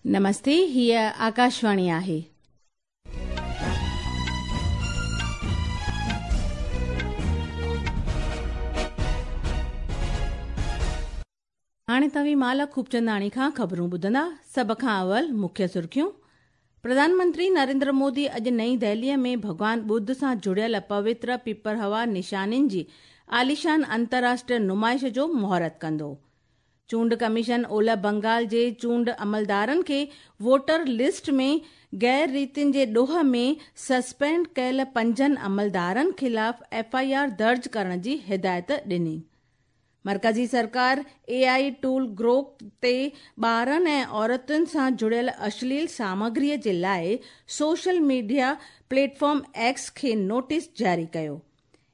نمستي، هيء آڪاشواڻي آهي. هاڻي توهين مالا خوبچنداڻي کان خبرون ٻڌندا. سڀ کان اول مکيه سرخيون. پرڌان منتري نريندر مودي اڄ نئين دهليء ۾ ڀڳوان ٻڌ سان جڙيل پوتر پپرهوا نشانين جي عاليشان انترراشٽريه نمائش جو مهورت ڪندو. چونڊ ڪميشن اولهه بنگال جي چونڊ عملدارن کي ووٽر لسٽ ۾ غير ريتين جي ڏوهه ۾ سسپينڊ ڪيل پنجن عملدارن خلاف ايف I R درج ڪرڻ جي هدايت ڏني. مرڪزي سرڪار اي آء ٽول گروڪ تي ٻارن ۽ عورتن سان جڙيل اشليل سامگري جي لاء social media plate form X کي نوٽيس جاري ڪيو.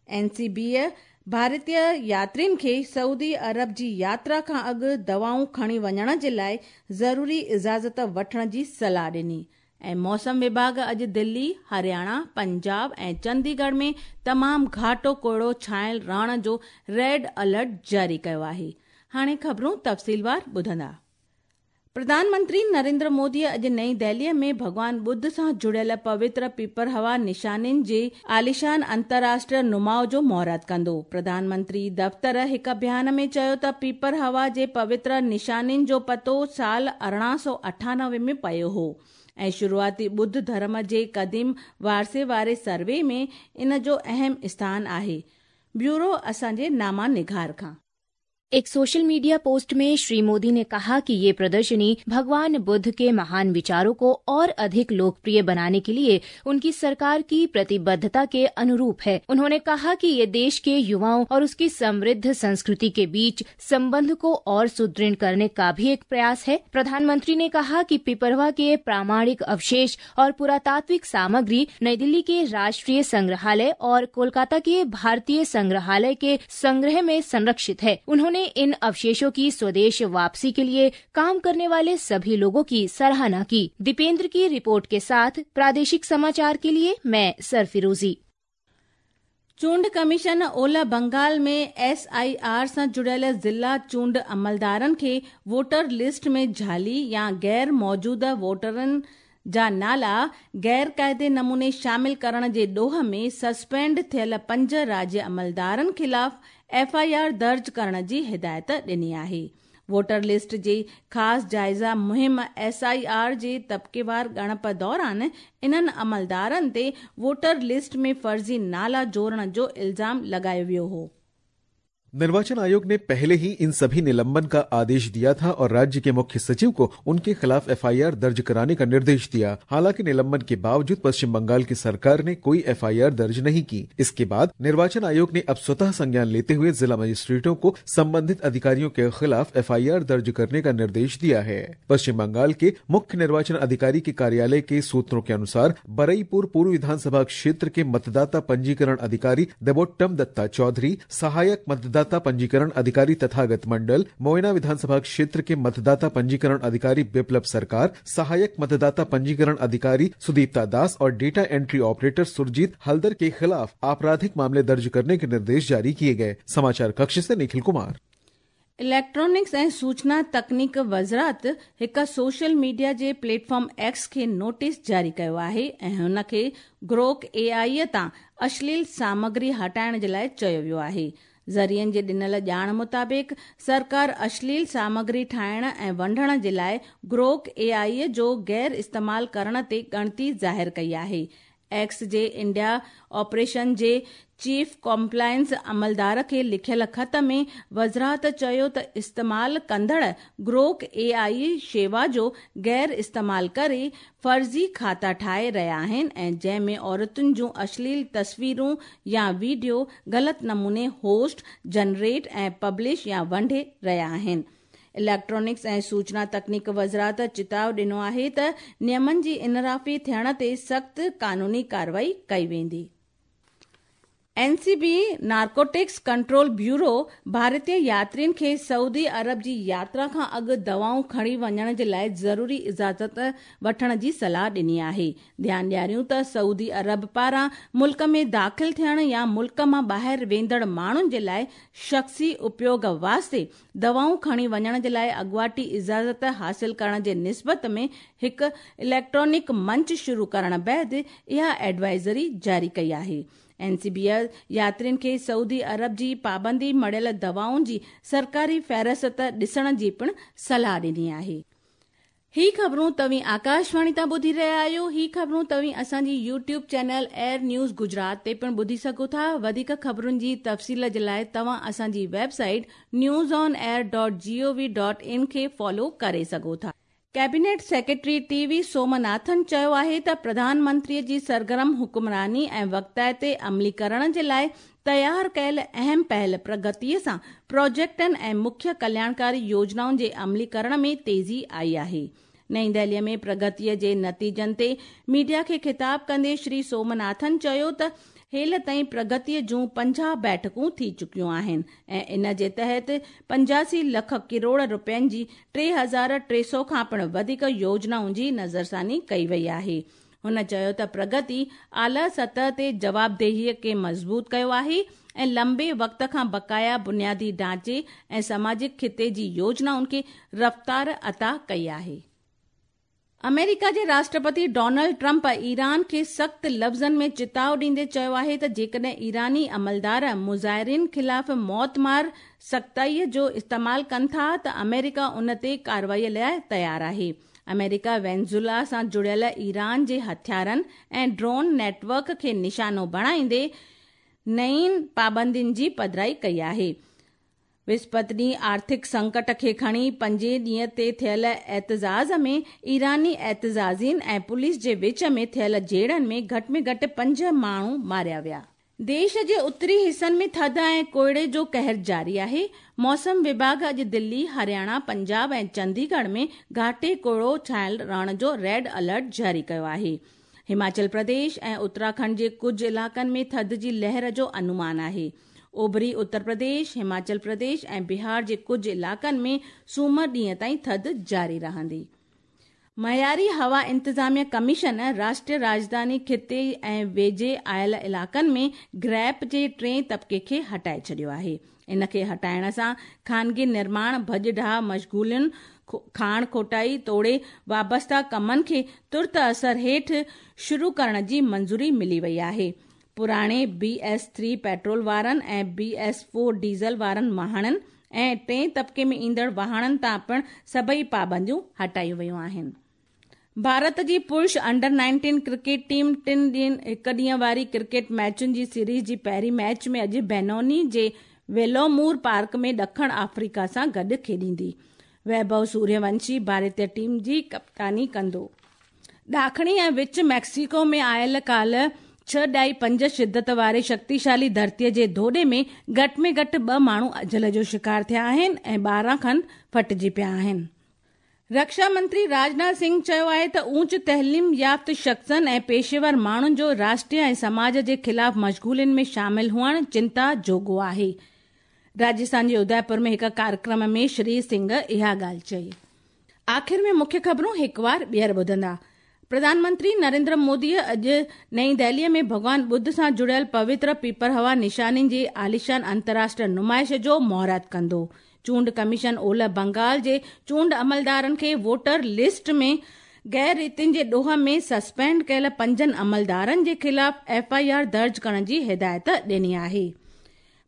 اين سي بيء ڀارتي ياترين کي سعودي عرب جي ياترا کان اڳ دوائون کڻي وڃڻ جي لاء ضروري اجازت وٺڻ جي صلاح ڏني ۽ موسم وڀاڳ اڄ دلي، هرياڻا، پنجاب ۽ چنديڳڙهه ۾ تمام گهاٽو ڪوهيڙو ڇانيل رهڻ جو ريڊ الرٽ جاري ڪيو آهي. هاڻي خبرون تفصيلوار ٻڌندا. پرڌان منتري نريندر مودي اڄ نئين دهليء ۾ ڀڳوان ٻڌ سان جڙيل پوتر پپرهوا نشانين جي عاليشان انترراشٽريه نماء جو مهورت ڪندو. پرڌان منتري دفتر هڪ بيان ۾ چيو ته پپرهوا جي پوتر نشانين جو پتو سال 1898 ۾ پيو هو ۽ شروعاتي ٻڌ ڌرم جي قديم وارثي واري سروي ۾ ان جو اهم اسٿان آهي. بيورو اسان جي ناما نگار کان. एक सोशल मीडिया पोस्ट में श्री मोदी ने कहा कि ये प्रदर्शनी भगवान बुद्ध के महान विचारों को और अधिक लोकप्रिय बनाने के लिए उनकी सरकार की प्रतिबद्धता के अनुरूप है। उन्होंने कहा कि ये देश के युवाओं और उसकी समृद्ध संस्कृति के बीच संबंध को और सुदृढ़ करने का भी एक प्रयास है। प्रधानमंत्री ने कहा कि पिपरवा के प्रामाणिक अवशेष और पुरातात्विक सामग्री नई दिल्ली के राष्ट्रीय संग्रहालय और कोलकाता के भारतीय संग्रहालय के संग्रह में संरक्षित है। उन्होंने इन अवशेषों की स्वदेश वापसी के लिए काम करने वाले सभी लोगों की सराहना की। दीपेंद्र की रिपोर्ट के साथ प्रादेशिक समाचार के लिए मैं सरफिरोजी। चूंड ڪميشن اولهه بنگال ۾ ايس I R سان جڙيل ضلع چونڊ عملدارن کي ووٽر لسٽ ۾ جعلي يا غير موجوده ووٽرن جا نالا غير قاعدي نموني شامل ڪرڻ جي ڏوهه ۾ سسپينڊ ٿيل پنج راجيه عملدارن خلاف ايف I R درج ڪرڻ جي هدايت ڏني آهي. ووٽر لسٽ جي خاص جائزه مهم ايس I R جي طبقيوار ڳڻپ دوران انهن عملدارن تي ووٽر لسٽ ۾ فرضي نالا جوڙڻ جو الزام لڳايو ويو هو. निर्वाचन आयोग ने पहले ही इन सभी निलंबन का आदेश दिया था और राज्य के मुख्य सचिव को उनके खिलाफ एफआईआर दर्ज कराने का निर्देश दिया। हालांकि निलंबन के बावजूद पश्चिम बंगाल की सरकार ने कोई एफआईआर दर्ज नहीं की। इसके बाद निर्वाचन आयोग ने अब स्वतः संज्ञान लेते हुए जिला मजिस्ट्रेटों को संबंधित अधिकारियों के खिलाफ एफआईआर दर्ज करने का निर्देश दिया है। पश्चिम बंगाल के मुख्य निर्वाचन अधिकारी के कार्यालय के सूत्रों के अनुसार बरईपुर पूर्व विधानसभा क्षेत्र के मतदाता पंजीकरण अधिकारी देवोत्तम दत्ता चौधरी, सहायक मतदाता पंजीकरण अधिकारी तथागत मंडल, मोयना विधानसभा क्षेत्र के मतदाता पंजीकरण अधिकारी बिप्लब सरकार, सहायक मतदाता पंजीकरण अधिकारी सुदीप्ता दास और data entry operator Surjit Haldar के खिलाफ आपराधिक मामले दर्ज करने के निर्देश जारी किए गए। समाचार कक्ष से निखिल कुमार। इलेक्ट्रॉनिक्स ऐं सूचना तकनीक वज़ारत हिकु सोशल मीडिया जे प्लेटफॉर्म एक्स खे नोटिस जारी कयो आहे ऐं हुन खे ग्रोक ए आई तां अश्लील सामग्री हटाइण जे लाइ चयो वियो आहे। ज़रियनि जे ॾिनल ॼाण मुताबिक़ सरकार अश्लील सामग्री ठाहिण ऐं वंडण जे लाइ ग्रोक ए आई जो गैर इस्तेमाल करण ते ॻणती ज़ाहिर कई आहे। एक्स जे इंडिया ऑपरेशन जे चीफ कॉम्प्लायंस अमलदार खे लिखियल ख़त में वज़ारत चयो त इस्तेमाल कंदड़ ग्रोक ए आई शेवा जो गैर इस्तेमाल करे फ़र्ज़ी खाता ठाहे रहिया आहिनि ऐं जंहिंमें औरतुनि जूं अश्लील तस्वीरूं या वीडियो ग़लति नमूने होस्ट, जनरेट ऐं पब्लिश या वंडे रहिया आहिनि। इलेक्ट्रॉनिक्स ऐं सूचना तकनीक वज़ारत चिताव ॾिनो आहे त नियमनि जी इनराफ़ी थियण ते सख़्तु कानूनी कार्रवाई कई वेंदी। N C B narcotics control bureau ڀارتي ياترين کي سعودي عرب جي ياترا کان اڳ دوائون کڻي وڃڻ جي لاءِ ضروري اجازت وٺڻ جي صلاح ڏني آهي. ڌيان ڏياريون ته سعودي عرب پاران ملڪ ۾ داخل ٿيڻ يا ملڪ مان ٻاهر ويندڙ ماڻهن جي لاءِ شخصي اپيوگ واسطي دوائون کڻي وڃڻ جي لاءِ اڳواٽي اجازت حاصل ڪرڻ جي نسبت ۾ هڪ اليڪٽرانڪ منچ شروع ڪرڻ بعد اها ايڊوائزري جاري ڪئي آهي. اين سي بي ياترين کي سعودي عرب جي پابندي مڙهيل دوائن جي سرڪاري فهرست ڏسڻ جي پڻ صلاح ڏني آهي. هي خبرون توهين آڪاشواڻي تان ٻڌي رهيا آهيو. هي خبرون توهين اسان جي YouTube channel air news Gujarat تي پڻ ٻڌي سگهو ٿا. وڌيڪ خبرن جي تفصيل جي لاءِ توهان اسان جي website news on air dot G O V dot in کي فالو ڪري سگهو ٿا. Cabinet secretary T V Somanathan چيو آهي ته پرڌان منتري جي سرگرم حڪمراني ۽ وقتائتي عمليڪرڻ جي لاءِ تيار ڪيل اهم پهل پرگتي سان پروجيڪٽن ۽ مکيه ڪلياڻڪاري يوجنائن جي عمليڪرڻ ۾ تيزي آئي آهي. نئين دهلي ۾ پرگتي جي نتيجن تي ميڊيا کي خطاب ڪندي شري سومناٿن چيو ته هيل تائين پرگتي جون 50 بيٺڪون ٿي چڪيون آهن ۽ ان جي تحت 85 لک ڪروڙ رپين جي 3300 کان پڻ وڌيڪ يوجنائن جي نظرثاني ڪئي وئي آهي. هن چيو ته پرگتي اعليٰ سطح تي جوابدهي کي مضبوط ڪيو آهي ۽ لمبي وقت کان بقايا بنيادي ڍانچي ۽ سماجڪ خطي جي يوجنائن کي رفتار عطا ڪئي آهي. آمريڪا جي راشٽرپتي ڊونلڊ ٽرمپ ايران کي سخت لفظن ۾ چتاءُ ڏيندي چيو آهي ته جيڪڏهن ايراني عملدار مظاهرين خلاف موتمار سختائي جو استعمال ڪن ٿا ته آمريڪا ان تي ڪارروائي لاءِ تيار آهي. آمريڪا وينزولا سان جڙيل ايران جي هٿيارن ۽ ڊرون نيٽ ورڪ کي نشانو بڻائيندي نئين پابندين جي پڌرائي ڪئي آهي. وسپت ڏينهن آرٿڪ سنڪٽ کي کڻي پنجين ڏينهن تي ٿيل احتجاج ۾ ايراني احتجاجين ۽ پوليس جي وچ ۾ ٿيل جهيڙن ۾ گهٽ ۾ گهٽ 5 ماڻهو ماريا ويا. ديش جي اتري حصن ۾ ٿڌ ۽ ڪوهيڙي جو قهر جاري آهي. موسم وڀاڳ اڄ دلي، هرياڻا، پنجاب ۽ چنديڳڙهه ۾ گهاٽي ڪوهيڙو ڇانيل رهڻ جو ريڊ الرٽ جاري ڪيو آهي. هماچل پرديش ۽ اتراکنڊ جي ڪجهه علائقن ۾ ٿڌ جي لهر جو انومان آهي. اوڀري اتر پرديش، هماچل پرديش ۽ بهار جي ڪجهه علائقن ۾ سومر ڏينهن تائين ٿڌ جاري رهندي. معياري هوا انتظاميه ڪميشن راشٽريه راڄڌاني خطي ۽ ويجهي آيل علائقن ۾ گريپ جي ٽئين طبقي کي هٽائي ڇڏيو آهي. ان کي هٽائڻ سان خانگي نرماڻ، ڀڄ ڊاهه مشغولين، کاڻ کوٽائي توڙي وابسته ڪمن کي ترت اثر هيٺ شروع ڪرڻ جي منظوري ملي وئي آهي. پراڻي بي ايس 3 پيٽرول وارن ۽ بي ايس 4 ڊيزل وارن واهڻن ۽ ٽئين طبقي ۾ ايندڙ واهڻن تان پڻ سڀئي پابنديون هٽايون ويون آهن. ڀارت جي پرش انڊر 19 ڪرڪيٽ ٽيم ٽن ڏينهن هڪ ڏينهن واري ڪرڪيٽ ميچن جي سيريز جي پهرين ميچ ۾ اڄ بينوني جي ويلومور پارڪ ۾ ڏکڻ آفريڪا سان گڏ کيڏيندي. ويڀو سوريونشي ڀارتي ٽيم جي ڪپتاني ڪندو. ڏاکڻي ۽ وچ ميڪسيڪو ۾ آيل ڪالهه 6.5 شدت واري شڪتيشالي ڌرتيءَ جي ڌوڏي ۾ گهٽ ۾ گهٽ 2 ماڻهو اجل جو شڪار ٿيا آهن ۽ 12 کن ڦٽجي پيا آهن. رڪشا منتري راجناٿ سنگهه چيو آهي ته اوچ تعليم يافته شخصن ۽ پيشيور ماڻهن جو راشٽريه ۽ سماج جي خلاف مشغولين ۾ شامل هئڻ چنتا جوڳو آهي. راجسٿان جي اديپور ۾ هڪ ڪاريڪرم ۾ شري سنگهه اها ڳالهه چئي. آخر ۾ مکيه خبرون هڪ وار ٻيهر ٻڌندا. پرڌان منتري نريندر مودي اڄ نئين دهلي ۾ ڀڳوان ٻڌ سان جڙيل پوتر پيپرهوا نشانين جي عاليشان انترراشٽريه نمائش جو مهورت ڪندو. چونڊ ڪميشن اولهه بنگال جي چونڊ عملدارن کي ووٽر لسٽ ۾ غير ريتين جي ڏوهه ۾ سسپينڊ ڪيل 5 عملدارن جي خلاف ايف I R درج ڪرڻ جي هدايت ڏني آهي.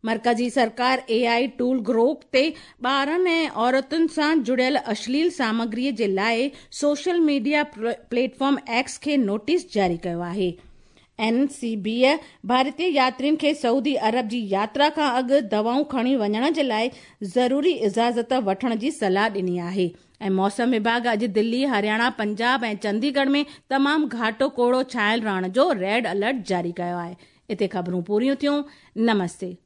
مرڪزي سرڪار اي I tool Grok تي ٻارن ۽ عورتن سان جڙيل اشليل سامگري جي لاءِ social media plate form X کي نوٽيس جاري ڪيو آهي. اين سي بي ڀارتي ياترين کي سعودي عرب جي ياترا کان اڳ دوائون کڻي وڃڻ جي لاءِ ضروري اجازت وٺڻ جي صلاح ڏني آهي. ۽ موسم وڀاڳ اڄ دلي، هرياڻا، پنجاب ۽ چنديڳڙهه ۾ تمام گهاٽو ڪوهيڙو ڇانيل رهڻ جو ريڊ الرٽ جاري ڪيو آهي. هتي خبرون پوريون ٿيون. نمستي.